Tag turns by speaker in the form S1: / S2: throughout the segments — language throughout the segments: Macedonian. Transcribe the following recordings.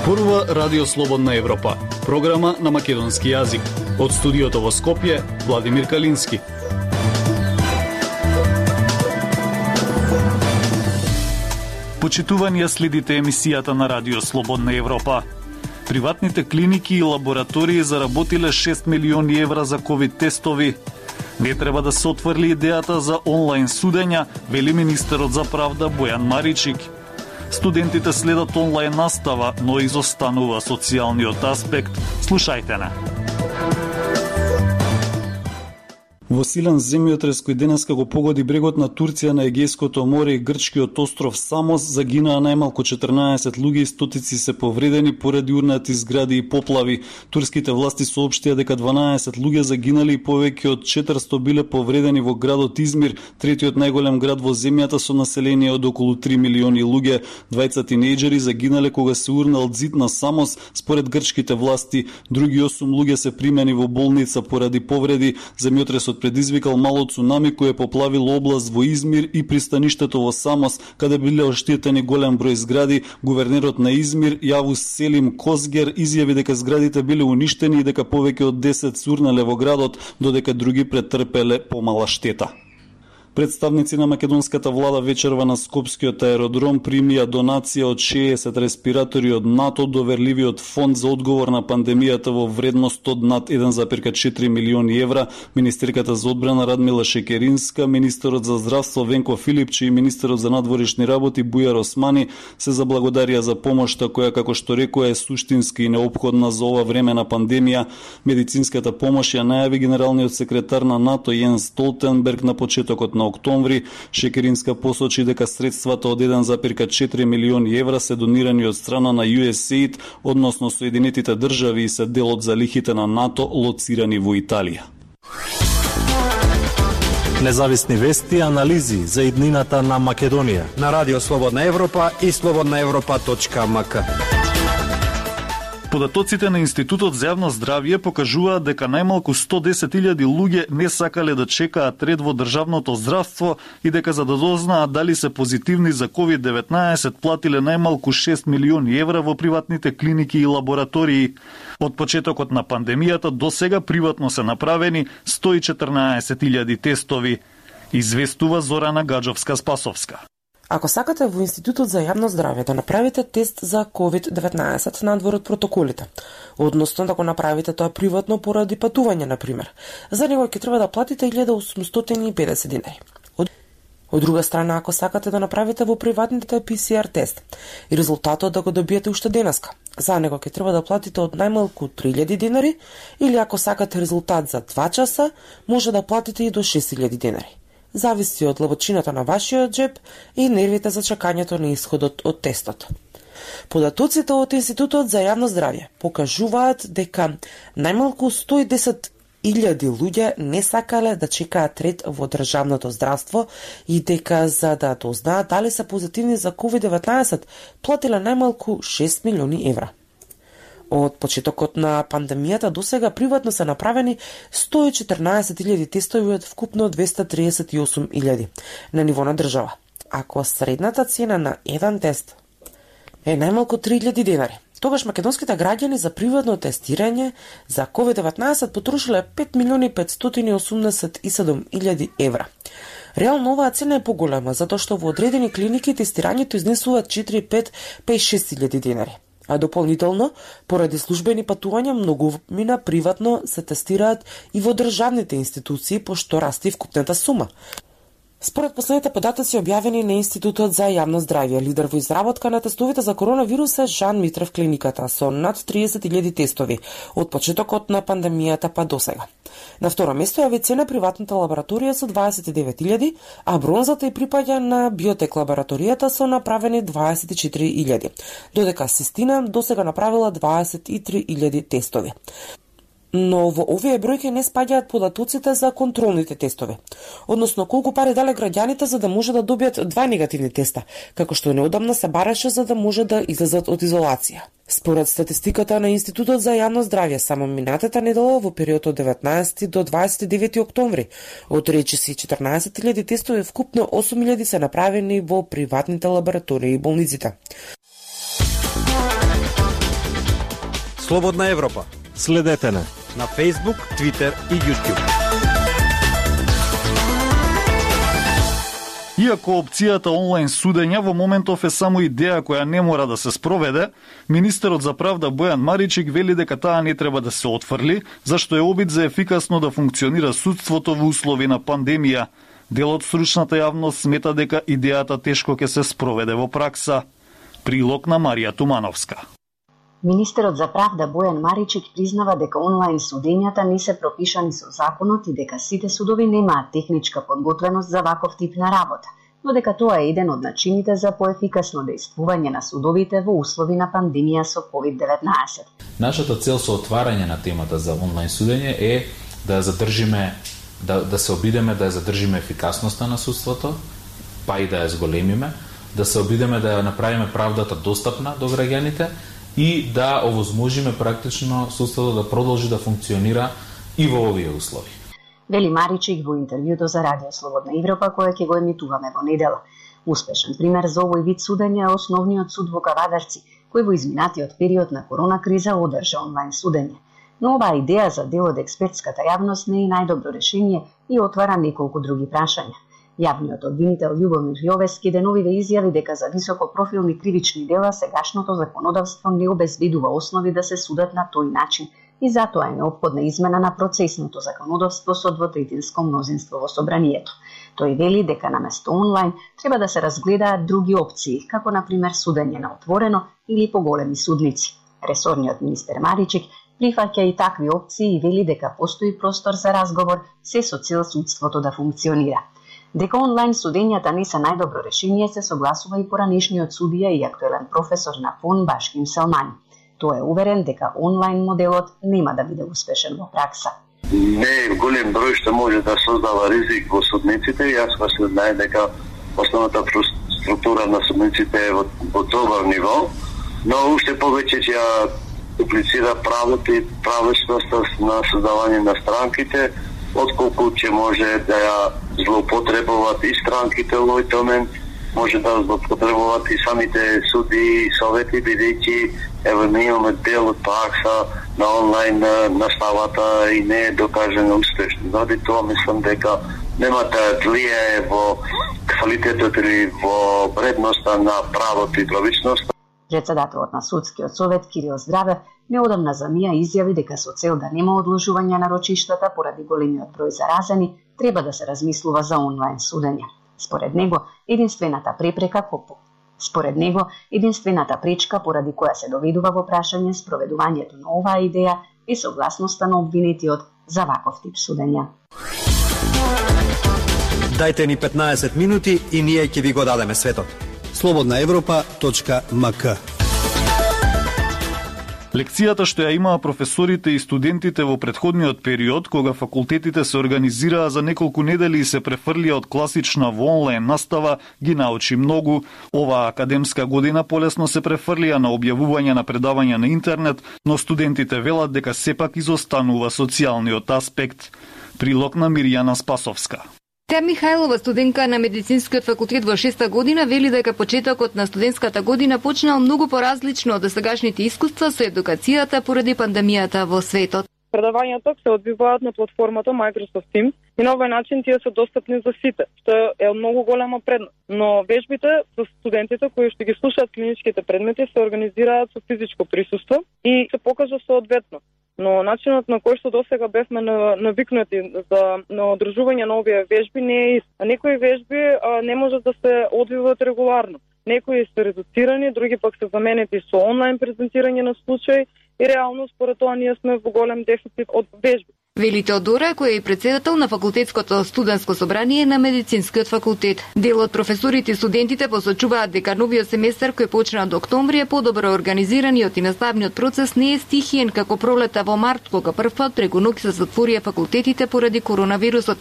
S1: Зборува Радио Слободна Европа, програма на македонски јазик. Од студиото во Скопје, Владимир Калински. Почитување, следите емисијата на Радио Слободна Европа. Приватните клиники и лаборатории заработиле 6 милиони евра за ковид тестови. Не треба да се отврли идејата за онлайн судења, вели министерот за правда Бојан Маричик. Студентите следат онлайн настава, но изостанува социјалниот аспект. Слушајте на. Во силен земјотрес кој денеска го погоди брегот на Турција на Егејското море и грчкиот остров Самос, загинаа најмалку 14 луѓе и стотици се повредени поради урнати згради и поплави. Турските власти соопштија дека 12 луѓе загинали и повеќе од 400 биле повредени во градот Измир, третиот најголем град во земјата со население од околу 3 милиони луѓе. Двајца тинејџери загинале кога се урнал ѕид на Самос, според грчките власти. Други 8 луѓе се примени во болница поради повреди. Земјотресот предизвикал мало цунами кој поплавил област во Измир и пристаништето во Самос, каде биле оштетени голем број згради. Гувернерот на Измир, Јавус Селим Козгер, изјави дека зградите биле уништени и дека повеќе од 10 сурнале во градот, додека други претрпеле помала штета. Представници на македонската влада вечерва на Скопскиот аеродром примија донација од 60 респиратори од НАТО, доверливиот фонд за одговор на пандемијата во вредност од над 1,4 милиони евра. Министерката за одбрана Радмила Шекеринска, министерот за здравство Венко Филипчи и министерот за надворешни работи Бујар Османи се заблагодарија за помошта која, како што рекоа, е суштински и неопходна за ова време на пандемија. Медицинската помош ја најави генералниот секретар на НАТО Јенс Столтенберг на почетокот на октомври. Шекеринска посочи дека средствата од 1,4 милиони евра се донирани од страна на USAID, односно Соединетите држави, и се дел од залихите на НАТО лоцирани во Италија.
S2: Независни вести и анализи за иднината на Македонија
S3: на Радио Слободна Европа и slobodnaevropa.mk.
S1: Податоците на Институтот за јавно здравје покажуваат дека најмалку 110.000 луѓе не сакале да чекаат ред во државното здравство и дека за да дознаат дали се позитивни за COVID-19 платиле најмалку 6 милиони евра во приватните клиники и лаборатории. Од почетокот на пандемијата до сега приватно се направени 114.000 тестови, известува Зорана Гаджовска-Спасовска.
S4: Ако сакате во Институтот за јавно здравје да направите тест за COVID-19 надвор од протоколите, односно да го направите тоа приватно поради патување, например, за него ќе треба да платите 1850 динари. Од друга страна, ако сакате да направите во приватните PCR тест и резултатот да го добиете уште денеска, за него ќе треба да платите од најмалку 3000 динари, или ако сакате резултат за 2 часа, може да платите и до 6000 динари. Зависи од длабочината на вашиот джеб и нервите за чекањето на исходот од тестот. Податоците од Институтот за јавно здравје покажуваат дека најмалку 110.000 луѓе не сакале да чекаат ред во државното здравство и дека за да дознаат дали се позитивни за COVID-19 платиле најмалку 6 милиони евра. Од почетокот на пандемијата до сега приватно се направени 114.000 тестови од вкупно 238.000 на ниво на држава. Ако средната цена на еден тест е најмалку 3.000 динари, тогаш македонските граѓани за приватно тестирање за COVID-19 потрошиле 5.587.000 евра. Реално оваа цена е поголема, затоа што во одредени клиники тестирањето изнесува 4, 5, 6.000 динари. А дополнително, поради службени патувања, многумина приватно се тестираат и во државните институции, пошто расте вкупната сума. Според последните податоци објавени на Институтот за јавно здравје, лидер во изработка на тестовите за коронавирус е Жан Митрев клиниката со над 30.000 тестови од почетокот на пандемијата па до сега. На второ место е Авицена приватната лабораторија со 29.000, а бронзата и припаѓа на Биотек лабораторијата со направени 24.000, додека Систина до сега направила 23.000 тестови. Но во овие бројки не спаѓаат податоците за контролните тестови, односно колку пари дале граѓаните за да може да добијат 2 негативни теста, како што неодамна се бараше за да може да излезат од изолација. Според статистиката на Институтот за јавно здравје, само минатата недела во период од 19 до 29 октомври, од речиси 14.000 тестови, вкупно 8.000 се направени во приватните лаборатории и болниците.
S3: Слободна Европа.
S2: Следете не
S3: На Facebook, Twitter и YouTube.
S1: Иако опцијата онлайн судење во моментов е само идеја која не мора да се спроведе, министерот за правда Бојан Маричик вели дека таа не треба да се отфрли, зашто е обид за ефикасно да функционира судството во услови на пандемија. Дел од стручната јавност смета дека идејата тешко ќе се спроведе во пракса. Прилог на Марија Тумановска.
S5: Министерот за правда Бојан Маричик признава дека онлайн судењата не се пропишани со законот и дека сите судови немаат техничка подготвеност за ваков тип на работа, но дека тоа е еден од начините за поефикасно дејствување на судовите во услови на пандемија со COVID-19.
S6: Нашата цел со отварање на темата за онлайн судење е да ја задржиме, да се обидеме да ја задржиме ефикасноста на судството, па и да ја зголемиме, да се обидеме да ја направиме правдата достапна до граѓаните и да овозможиме практично судството да продолжи да функционира и во овие услови.
S5: Вели Маричик во интервјуто за Радио Слободна Европа кое ќе го емитуваме во недела. Успешен пример за овој вид судење е основниот суд во Кавадарци, кој во изминатиот период на корона криза одржа онлайн судење. Но оваа идеја за дел од експертската јавност не е најдобро решение и отвара неколку други прашања. Јавниот обвинител Љубомир Јовески деновиве изјави дека за високопрофилни кривични дела сегашното законодавство не обезбедува основи да се судат на тој начин и затоа е неопходна измена на процесното законодавство со двотретинско мнозинство во собранието. Тој вели дека наместо онлайн треба да се разгледаат други опции, како на пример судење на отворено или поголеми судници. Ресорниот министер Маричик прифаќа и такви опции и вели дека постои простор за разговор се со цел судството да функционира. Дека онлайн судењата не се најдобро решение се согласува и поранешниот судија и актуелен професор на ФОН Башким Селмани. Тој е уверен дека онлайн моделот нема да биде успешен во пракса.
S7: Не е голем број што може да создава ризик во судниците. Јас се знае дека основната структура на судниците е во добар ниво, но уште повеќе ќе ја дуплицира правото и правечноста на создавање на странките, отколку ќе може да ја злоупотребуваат и странките во овој момент, може да злоупотребуваат и самите суди и совети, бидејќи ево ние имаме дел од пракса на онлайн наставата и не е докажено успешно. Заради тоа мислам дека нема да влијае во квалитетот или во вредноста на правото и правичноста.
S5: Председателот на Судскиот совет Кирил Здравев неодамна за МИА изјави дека со цел да нема одложување на рочиштата поради големиот број заразени, треба да се размислува за онлайн судење. Според него, единствената пречка поради која се доведува во прашање спроведувањето на оваа идеја е согласноста на обвинетиот за ваков тип судења.
S3: Дајте ни 15 минути и ние ќе ви го дадеме светот.
S8: slobodnaevropa.mk.
S1: Лекцијата што ја имаа професорите и студентите во претходниот период, кога факултетите се организираа за неколку недели и се префрлија од класична во онлайн настава, ги научи многу. Оваа академска година полесно се префрлија на објавување на предавања на интернет, но студентите велат дека сепак изостанува социјалниот аспект. Прилог на Мирјана Спасовска.
S9: Теа Михајлова, студентка на медицинскиот факултет во 6-та година, вели дека почетокот на студентската година почнал многу поразлично од досегашните искуства со едукацијата поради пандемијата во светот.
S10: Предавањата се одвиваат на платформата Microsoft Teams и на овој начин тие се достапни за сите, што е многу голема предност. Но вежбите за студентите кои што ги слушаат клиничките предмети се организираат со физичко присуство и се покажа соодветно. Но начинот на кој што досега бевме навикнати на одржување на овие вежби не е ист. А некои вежби не можат да се одвиваат регуларно. Некои се редуцирани, други пак се заменети со онлайн презентирање на случаи и реално според тоа ние сме во голем дефицит од вежби.
S9: Вели Теодора, која е и председател на факултетското студентско собрание на медицинскиот факултет. Дел од професорите и студентите посочуваат дека новиот семестар кој почна од октомври е подобро организираниот и наставниот процес не е стихиен како пролета во март, кога првпат преку ноќ се затворија факултетите поради коронавирусот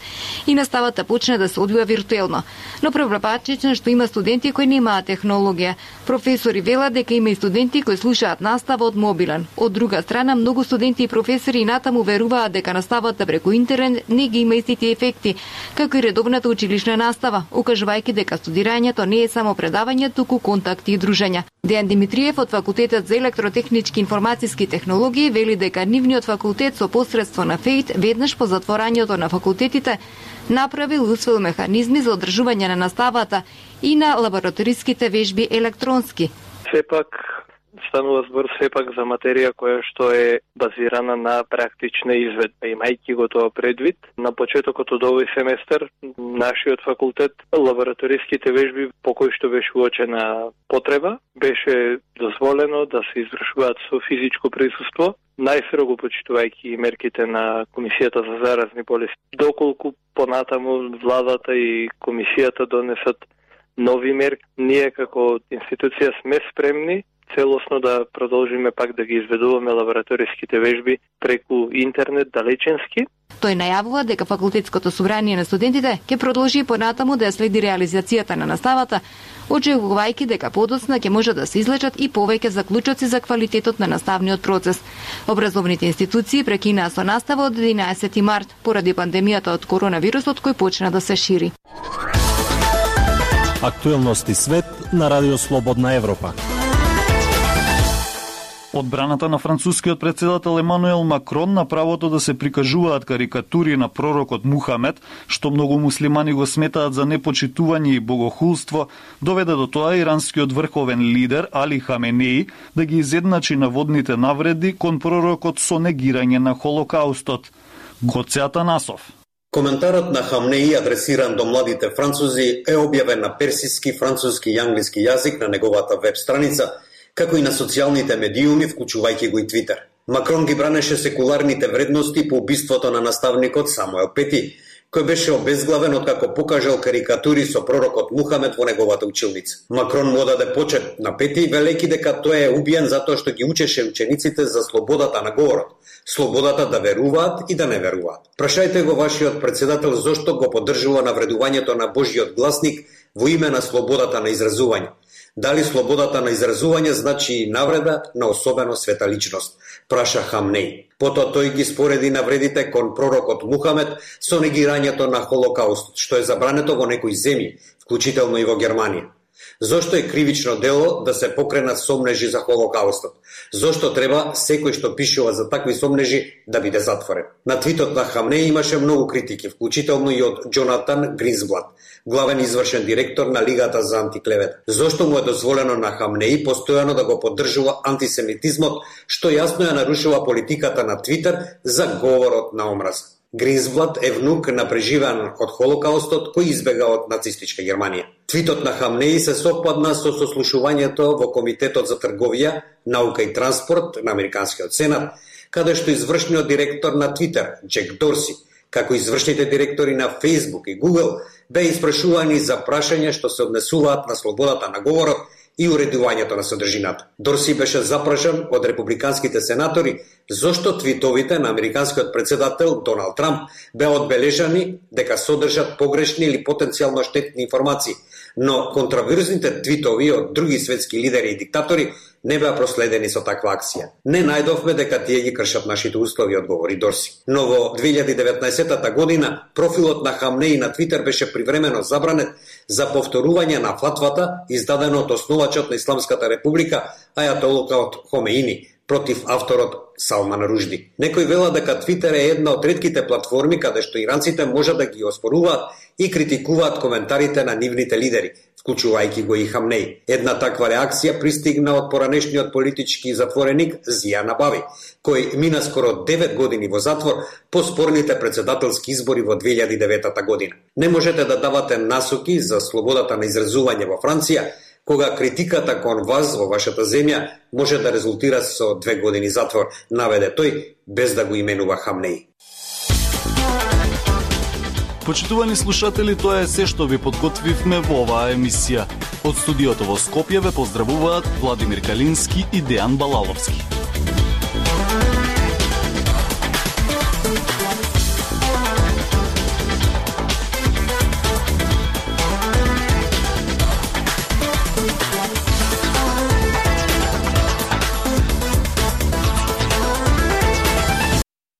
S9: и наставата почна да се одвива виртуелно. Но проблематично што има студенти кои немаат технологија. Професори велат дека има и студенти кои слушаат настава од мобилен. Од друга страна, многу студенти и професори натаму веруваат дека наставата преку интернет не ги има истите ефекти, како и редовната училишна настава, укажувајќи дека студирањето не е само предавање, туку контакти и дружења. Дејан Димитриев од Факултетот за електротехнички и информатиски технологии вели дека нивниот факултет со посредство на ФЕИТ веднаш по затворањето на факултетите направил и усвоил механизми за одржување на наставата и на лабораториските вежби електронски.
S8: Сепак станува збор за материја која што е базирана на практична изведба. Имајќи го тоа предвид, на почетокот од овој семестар нашиот факултет лабораториските вежби по кои што беше уочена потреба, беше дозволено да се извршуваат со физичко присуство, најстрого почитувајќи мерките на Комисијата за заразни болести. Доколку понатаму владата и комисијата донесат нови мерки, ние како институција сме спремни целосно да продолжиме пак да ги изведуваме лабораториските вежби преку интернет далеченски.
S9: Тој најавува дека факултетското собрание на студентите ќе продолжи понатаму да следи реализацијата на наставата, очекувајќи дека подоцна ќе може да се излечат и повеќе заклучоци за квалитетот на наставниот процес. Образовните институции прекинаа со настава од 11 март поради пандемијата од коронавирусот кој почна да се шири.
S2: Актуелности свет на Радио Слободна Европа.
S1: Одбраната на францускиот председател Емануел Макрон на правото да се прикажуваат карикатури на пророкот Мухамед, што многу муслимани го сметаат за непочитување и богохулство, доведе до тоа иранскиот врховен лидер Али Хаменеи да ги изедначи наводните навреди кон пророкот со негирање на Холокаустот. Гоце Атанасов.
S11: Коментарот на Хамнеи, адресиран до младите французи, е објавен на персиски, француски и англиски јазик на неговата веб страница, како и на социјалните медиуми, вклучувајќи го и Твитер. Макрон ги бранеше секуларните вредности по убиството на наставникот Самуел Пети, кој беше обезглавен откако покажал карикатури со пророкот Мухамед во неговата училница. Макрон му даде почет на Пети, велејќи дека тој е убиен затоа што ги учеше учениците за слободата на говорот, слободата да веруваат и да не веруваат. Прашајте го вашиот председател зошто го поддржува навредувањето на Божјиот гласник во име на слободата на изразување. Дали слободата на изразување значи и навреда на особено света личност, праша Хамнеи. Потоа тој ги спореди навредите кон пророкот Мухамед со негирањето на Холокаустот, што е забрането во некои земји, вклучително и во Германија. Зошто е кривично дело да се покренат сомнежи за Холокаустот? Зошто треба секој што пишува за такви сомнежи да биде затворен? На твитот на Хамнеи имаше многу критики, вклучително и од Джонатан Гринсблат, главен извршен директор на Лигата за антиклевета. Зошто му е дозволено на Хамнеи постојано да го поддржува антисемитизмот, што јасно ја нарушува политиката на Твитер за говорот на омраза? Гринсблат е внук на преживеан од Холокаустот кој избега од нацистичка Германија. Твитот на Хамнеи се совпадна со сослушувањето во Комитетот за трговија, наука и транспорт на Американскиот сенат, каде што извршниот директор на Твитер, Джек Дорси, како извршните директори на Facebook и Google, беа испрашувани за прашања што се однесуваат на слободата на говорот и уредувањето на содржината. Дорси беше запрашан од републиканските сенатори зошто твитовите на американскиот председател Доналд Трамп беа одбележани дека содржат погрешни или потенцијално штетни информации, но контраверзните твитови од други светски лидери и диктатори не беа проследени со таква акција. Не најдовме дека тие ги кршат нашите услови, одговори Дорси. Но во 2019 година профилот на Хамнеи на Твитер беше привремено забранет за повторување на фатвата издадено од основачот на Исламската република Ајатолла Хомеини против авторот Салман Ружди. Некои велат дека Твитер е една од ретките платформи каде што иранците можат да ги оспоруваат и критикуваат коментарите на нивните лидери, вклучувајќи го и Хамнеи. Една таква реакција пристигна од поранешниот политички затвореник Зија Набави, кој мина скоро 9 години во затвор по спорните председателски избори во 2009 година. Не можете да давате насоки за слободата на изразување во Франција, кога критиката кон вас во вашата земја може да резултира со 2 години затвор, наведе тој, без да го именува Хамнеи.
S1: Почитувани слушатели, тоа е се што ви подготвивме во оваа емисија. Од студиото во Скопје ве поздравуваат Владимир Калински и Дејан Балаловски.